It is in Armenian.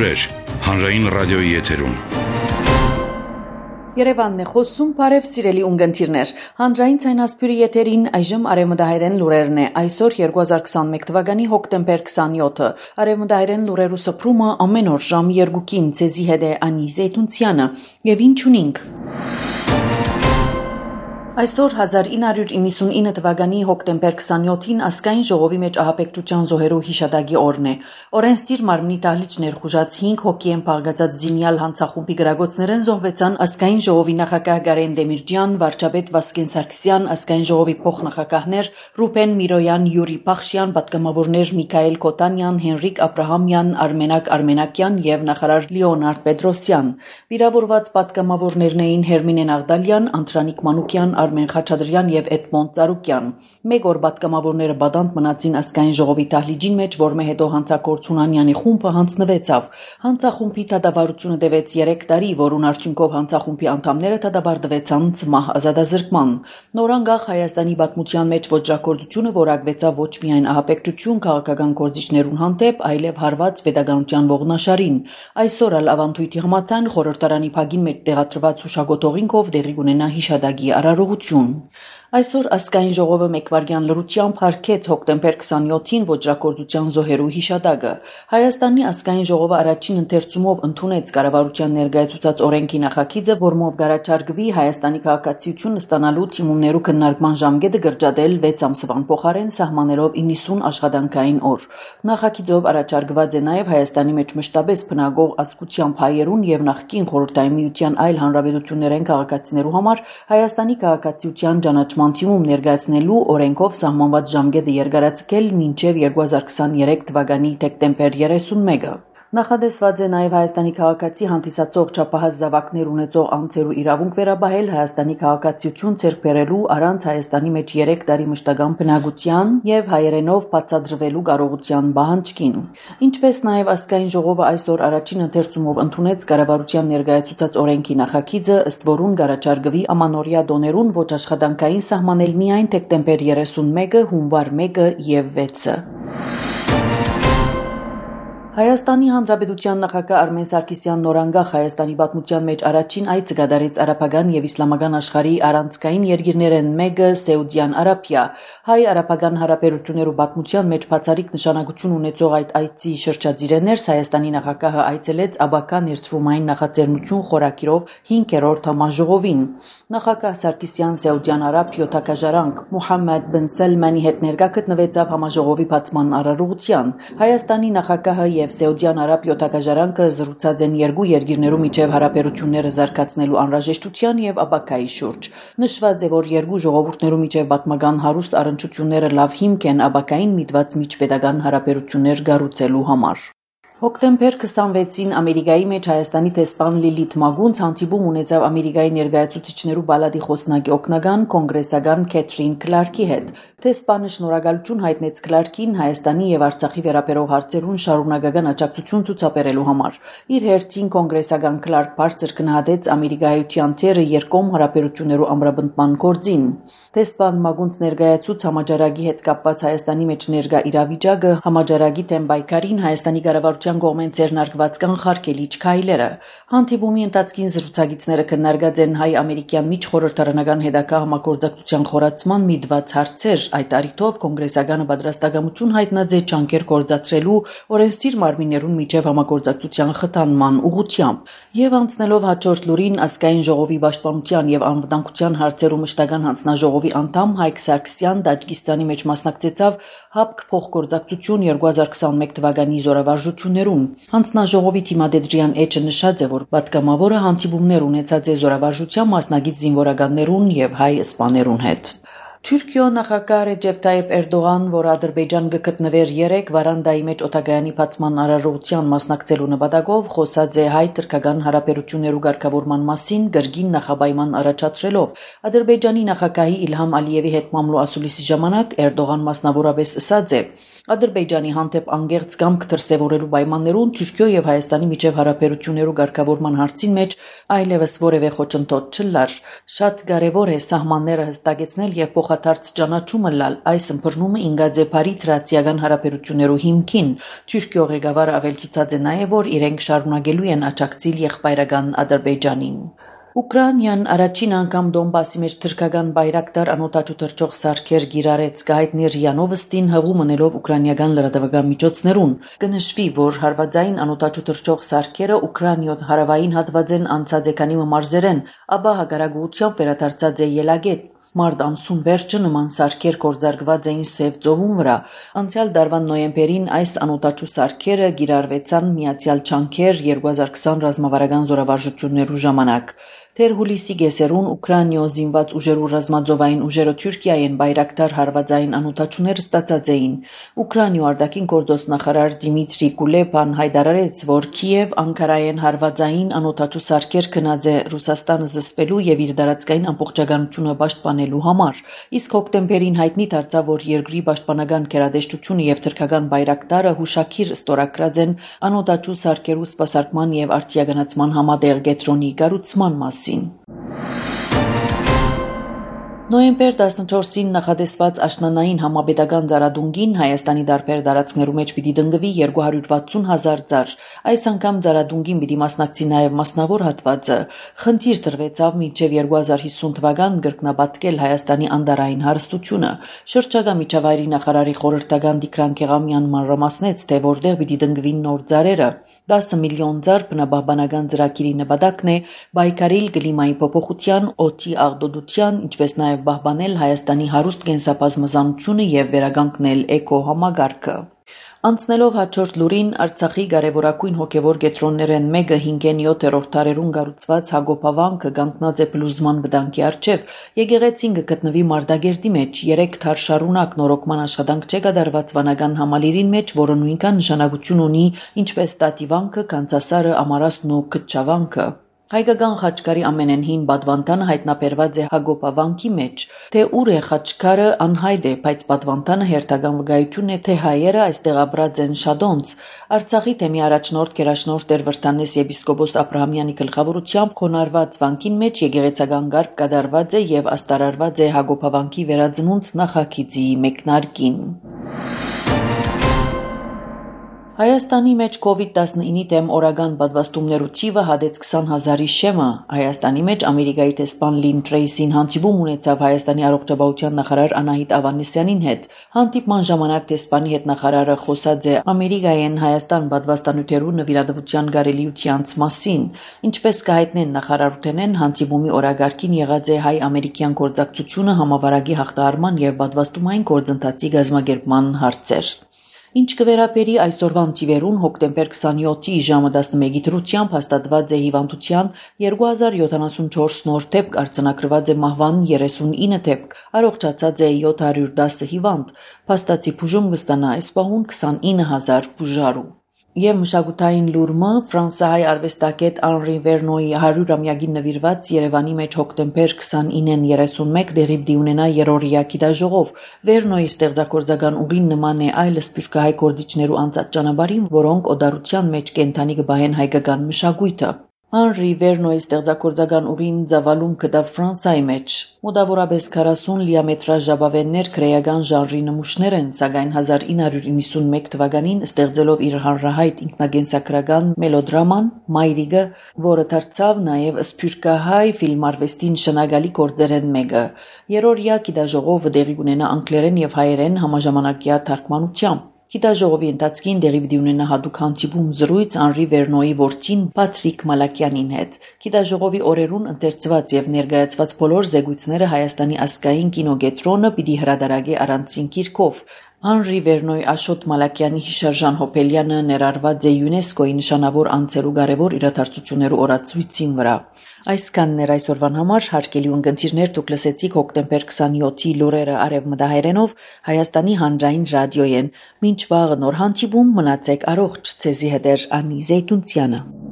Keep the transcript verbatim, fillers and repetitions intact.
Լուրեր հանրային ռադիոյի եթերում։ Երևանն է խոսում, բարև սիրելի ունգընտիրներ։ Հանրային ցայնասպյուրի եթերին այժմ արևմտահայերեն լուրերն է։ Այսօր երկու հազար քսանմեկ թվականի հոկտեմբեր քսանյոթը։ Արևմտահայերեն լուրերու սփռումը ամեն օր ժամ երկուքին ցեզի հետ է Անի Զեյթունցյանը։ Եվ ինչ ունենք։ Այսօր հազար ինը հարյուր իննսունինը թվականի հոկտեմբեր քսանյոթին ազգային ժողովի մեջ ահապեկչության զոհերու հիշադակի օրն է։ Օրենսդիր մարմնի դահլիճ ներխուժած հինգ հոգի են փաղկացած զինյալ հանցախումբի գրագոցներեն զոհվեցան ազգային ժողովի նախագահ Գարեն Դեմիրճյան, վարչապետ Վասկեն Սարգսյան, ազգային ժողովի փոխնախագահներ Ռուբեն Միրոյան, Յուրի Փախշյան, պատգամավորներ Միքայել Կոտանյան, Հենրիկ Աբրահամյան, Արմենակ Արմենակյան եւ նախարար Լեոնարդ Պետրոսյան։ Վիրավորված պատգամավորներն էին Հերմինե Նաղդալյան, Անտրանիկ Մանուկյան, Արմեն Խաչատրյան եւ Էդմոնդ Ծառուկյան։ Մեկ օր պատգամավորները բադանտ մնացին ազգային ժողովի դահլիճին մեջ, որմե հետո հանցագործ Հունանյանի խումբը հանձնվեցավ։ Հանցախումբի դատավարությունը տևեց երեք տարի, որուն արդյունքով հանցախումբի անդամները դատաբարդվեցան ցմահ ազատազրկման։ Նորանգախ Հայաստանի պատմության մեջ ոճրագործությունը որակվեցավ ոչ միայն ահապեկչություն քաղաքական գործիչներուն հանդեպ, այլև հարված pedagogical ողնաշարին։ Այսօր ալ ավանդույթի համաձայն խորհրդարանի փագին մեջ տեղադրված հուշագոտողինքով դեղի կունենա հիշադակի արարողություն։ Այսօր ազգային ժողովը մեկվարյան լրությամբ հարգեց հոկտեմբեր քսանյոթին ոճրագործության զոհերու հիշադակը։ Հայաստանի ազգային ժողովը առաջին ընթերցումով ընդունեց կառավարության ներկայացուցած օրենքի նախագիծը, որմով գարաչարգվի Հայաստանի քաղաքացիություն ստանալու թիմումներու քննարկման ժամկետը գրջադել վեց ամսվան փոխարեն սահմանելով իննսուն աշխատանքային օր։ Նախագիծով առաջարկված է նաև Հայաստանի մեջ մշտապես բնակող ազգությամբ հայերուն եւ նախկին խորհրդային միության այլ հանրապետություններեն քաղաքացիներու համար Հայաստանի քաղաքացիության ճանաչման թիմում ներկայացնելու օրենքով սահմանված ժամկետը երկարացկել մինչև երկու հազար քսաներեք թվականի դեկտեմբեր երեսունմեկը։ Նախադեсված է նաև Հայաստանի քաղաքացի հանդիսացող չափահաս զավակներ ունեցող անձերու իրավունք վերաբահել Հայաստանի քաղաքացիություն ձեռք բերելու առանց Հայաստանի մեջ երեք տարի մշտական բնակության եւ հայերենով բացատրվելու կարողության պահանջքին։ Ինչպես նաև ազգային ժողովը այսօր առաջին ընթերցումով ընդունեց կառավարության ներկայացուցած օրենքի նախագիծը, ըստ որուն գարաչարգվի ամանորյա դոներուն ոչ աշխատանքային սահմանել միայն դեկտեմբեր երեսունմեկը, հունվար մեկը եւ վեցը։ Հայաստանի Հանրապետության նախագահ Արմեն Սարգսյան նորանգախ Հայաստանի պատմության մեջ առաջին այցը կատարեց արաբական եւ իսլամական աշխարհի առանցքային երկիրներեն մեկը Սաուդյան Արաբիա։ Հայ-արաբական հարաբերություններու պատմության մեջ բացառիկ նշանակություն ունեցող այդ այցի շրջադիրներս Հայաստանի նախագահը այցելեց Աբակա ներդրումային նախաձեռնություն խորակիրով հինգերորդ համաժողովին։ Նախագահ Սարգսյան Սաուդյան Արաբիա թագաժարանք Մուհամմեդ բն Սալմանի հետ ներկա գտնվեցավ համաժողովի բացման արարողության։ Հայաստանի նախագահը եւ Սաուդյան Արաբիա թագաժարանքը զրուցած են երկու երկիրներու միջև հարաբերությունները զարգացնելու անհրաժեշտության եւ Աբակայի շուրջ։ Նշված է, որ երկու ժողովուրդներու միջև պատմական հարուստ առնչությունները լավ հիմք են Աբակային միտված միջպետական հարաբերություններ կառուցելու համար։ Հոկտեմբեր քսանվեցին Ամերիկայի մեջ Հայաստանի տեսփան Լիլիթ Մագունց հանդիպում ունեցավ Ամերիկայի ներկայացուցիչներու բալադի խոսնակի օգնական կոնգրեսական Քեթրին Քլարկի հետ։ Տեսփանը շնորհակալություն հայտնեց Քլարկին Հայաստանի եւ Արցախի վերաբերող հարցերուն շարունակական աջակցություն ցուցաբերելու համար։ Իր հերթին կոնգրեսական Քլարկ բարձր գնահատեց Ամերիկայության թերը երկկողմ հարաբերություններու ամրապնդման գործին։ Տեսփան Մագունց ներկայացուց համաճարակի հետ կապված Հայաստանի մեջ ներկա իրավիճակը, համաճարակի դեմ պայքարին Հայաստանի կառավարության կողմեն ձեռնարկված կանխարգելիչ քայլերը։ Հանդիպումի ընթացքին զրուցակիցները քննարկած են հայ-ամերիկյան միջխորհրդարանական հետագա համագործակցության խորացման միտված հարցեր։ Այդ առիթով կոնգրեսականը պատրաստակամություն հայտնած է ջանքեր գործադրելու օրենսդիր մարմիններուն միջև համագործակցության խթանման ուղղությամբ։ Եվ անցնելով հաջորդ լուրին, ազգային ժողովի պաշտպանության եւ անվտանգության հարցերու մշտական հանձնաժողովի անդամ Հայկ Սարգսյան Տաջիկստանի մեջ մասնակցեցավ ՀԱՊԿ փոխգործակցություն երկու հազար քսանմեկ թվականի զորավարժություններուն։ Հանձնաժողովի թիմադեդրյան էջը նշած է, որ պատգամավորը հանդիպումներ ունեցած է զորավարժության մասնագետ զինվորականներուն եւ հայ սպաներուն հետ։ Թուրքիո նախագահ Ռեջեփ Թայիփ Էրդողան, որ Ադրբեջան գտնվեր երեք վարանդայի մեջ օտագայանի բացման արարողության մասնակցելու նպատակով, խոսած է հայ-թուրքական հարաբերություններու ղեկավարման մասին գրգին նախապայման առաջադրելով։ Ադրբեջանի նախագահի Իլհամ Ալիևի հետ մամլո ասուլիսի ժամանակ Էրդողան մասնավորապես ասած է. Ադրբեջանի հանդեպ անգերց կամք դրսևորելու պայմաններուն Թուրքիո եւ Հայաստանի միջև հարաբերություններու ղեկավարման հարցին մեջ այլևս որևէ խոչընդոտ չլար։ Շատ կարեւոր է սահմանները հստակեցնել եւ փոխ փոխադարձ ճանաչումը լալ այս ըմբռնումը ինգաձեպարի թրացիական հարաբերություններու հիմքին Թուրքիո ղեկավարը ավելցուցած է նաև որ իրենք շարունակելու են աջակցել եղբայրական Ադրբեջանին Ուկրաինան առաջին անգամ Դոնբասի մեջ թրքական բայրակտար անօտաչու թռչող սարքեր գիրարեց գայտնի ՌԻԱ Նովոստին հղում ունելով ուկրաինական լրատվական միջոցներուն կնշվի որ հարվածային անօտաչու թռչող սարքերը Ուկրաինյո հարավային հատվածեն անցած եկանի մարզերեն ապա հագարագուությամբ վերադարձած է ելագետ Մարտ ամսուն վերջը նման սարքեր կորձարկված էին Սև ծովում վրա անցյալ դարվան նոյեմբերին այս անօտաչու սարքերը գիրարվեցան Միացյալ Չանքեր երկու հազար քսան ռազմավարական զորավարժություններու ժամանակ Թեր հուլիսի գեսերուն Ուկրաինյո զինված ուժերու ռազմաձովային ուժերը Թուրքիայեն բայրակտար հարվածային անօտաչուներ ստացած էին Ուկրաինյո արտաքին գործոս նախարար Դիմիտրի Կուլեբան հայտարարեց որ Կիև Անկարայեն հարվածային անօտաչու սարքեր գնաց է Ռուսաստանը զսպելու եւ իր դարածքային ամբողջականությունը պաշտպանելու համար իսկ հոկտեմբերին հայտնի դարձավ որ երկրի պաշտպանական գերատեսչությունը եւ թրքական բայրակտարը հուշակիր ստորագրած են անօտաչու սարքերու սպասարկման եւ արտիականացման համատեղ կենտրոնի կառուցման մասին Նոյեմբեր տասնչորսին նախատեսված աշնանային համապետական ծառադունգին Հայաստանի դարբեր տարածքներու մեջ պիտի դնգվի երկու հարյուր վաթսուն հազար ծառ։ Այս անգամ ծառադունգին պիտի մասնակցի նաև մասնավոր հատվածը։ Խնդիր տրվեցավ մինչև երկու հազար հիսուն թվական կրկնապատկել Հայաստանի անդարային հարստությունը։ Շրջակա միջավայրի նախարարի խորհրդական Տիգրան Քեղամյան մանրամասնեց, թե որտեղ պիտի դնգվին նոր ծառերը։ դասը միլիոն ծառ բնաբաբանական ծրագիրի նպատակն է բայկարիլ կլիմայի փոփոխության, օդի աղտոտության, ինչպես նաև բահբանել Հայաստանի հարուստ կենսաբազմազանությունը եւ վերականգնել էկո համագարկը։ Անցնելով հաջորդ լուրին Արցախի կարևորագույն հոգևոր կենտրոններեն մեկը հինգեն յոթերորդ դարերուն կառուցված Հակոբավանքը կանգնած է փլուզման վտանգի առջև եկեղեցին կգտնվի Մարտակերտի մեջ երեք թար շարունակ նորոգման աշխատանք չէ կատարված վանական համալիրին մեջ որը նույնքան նշանակություն ունի ինչպես Տատիվանքը, Կանցասարը, Ամարասն ու Քչավանքը Հայկական խաչկարի ամենենհին պատվանդանը հայտնաբերված է Հակոբավանքի մեջ, թե ուր է խաչկարը անհայտ է, բայց պատվանդանը հերթական վկայությունն է, թե հայերը այստեղ ապրած են շատոնց։ Արցախի թեմի առաջնորդ գերաշնորհ Տեր Վրդանես եպիսկոպոս Աբրահամյանի գլխավորությամբ խոնարհված վանքին մեջ եկեղեցական կարգ կատարված է եւ աստարարված է Հակոբավանքի վերածնունդ նախագիծի մեկնարկին։ Հայաստանի մեջ կովիդ տասնինի դեմ օրական պատվաստումներու թիվը հադեց քսան հազարի շեմը։ Հայաստանի մեջ Ամերիկայի տեսփան Լին Տրեյսին հանդիպում ունեցավ Հայաստանի առողջապահության նախարար Անահիտ Ավանեսյանին հետ։ Հանդիպման ժամանակ տեսփանի հետ նախարարը խոսած է Ամերիկայեն Հայաստան պատվաստանյութերու նվիրատվության կարելիությանց մասին։ Ինչպես կհայտնեն նախարարութենեն հանդիպումի օրագարկին եղած է հայ-ամերիկյան գործակցությունը համավարակի հաղթահարման եւ պատվաստումային գործընթացի կազմակերպման հարցեր։ Ինչ կվերապերի այսօրվան թիվերուն հոկտեմբեր քսանյոթի ժամը տասնմեկի դրությամբ հաստատված է հիվանդության երկու հազար յոթանասունչորս նոր դեպք, արձանագրված է մահվան երեսունինը դեպք, առողջացած է յոթ հարյուր դասը հիվանդ, փաստացի բուժում կստանա այս պահուն քսանինը հազար բուժարու։ Եվ մշակութային լուրը ֆրանսահայ արվեստագետ Անրի Վերնոյի հարյուրամյակին նվիրված Երևանի մեջ հոկտեմբեր քսանինին երեսունմեկ դեղի պիտի ունենա երրորդյա գիտաժողով։ Վերնոյի ստեղծագործական ուղին նման է այլ սփյուռքահայ գործիչներու անցած ճանապարհին, որոնք օդարության մեջ կենթանի կբահեն հայկական մշակույթը։ Անրի Վերնոյի ստեղծագործական ուղին ծավալում կտավ Ֆրանսայի մեջ։ Մոտավորապես քառասուն լիամետրաժ ժապավեններ քրեական ժանրի նմուշներ են, սակայն հազար ինը հարյուր իննսունմեկ թվականին ստեղծելով իր հանրահայտ ինքնագենսագրական մելոդրաման Մայրիկը, որը դարձավ նաև սփյուռքահայ ֆիլմարվեստի նշանակալի գործերեն մեկը։ Երրորդյա գիտաժողովը տեղի կունենա անգլերեն եւ հայերեն համաժամանակյա թարգմանությամբ։ Գիտաժողովի ընթացքին տեղի պիտի ունենա հատուկ հանդիպում զրույց Անրի Վերնոյի որդին Պատրիկ Մալակյանին հետ։ Գիտաժողովի օրերուն ընթերցված եւ ներկայացված բոլոր զեկույցները Հայաստանի ազգային կինոկենտրոնը պիտի հրատարակի առանցին գիրքով։ Անրի Վերնոյի Աշոտ Մալակյանի հիշարժան հոբելյանը ներառված է ՅՈՒՆԵՍԿՕ-ի նշանավոր անձերու կարևոր իրադարձություններու օրացույցին վրա։ Այսքանն էր այսօրվան համար հարգելի ունկնդիրներ, դուք լսեցիք հոկտեմբեր քսանյոթի լուրերը արևմտահայերենով Հայաստանի հանրային ռադիոյեն։ Մինչ վաղը նոր հանդիպում մնացեք առողջ, ցեզի հետ է Անի Զեյթունցյանը։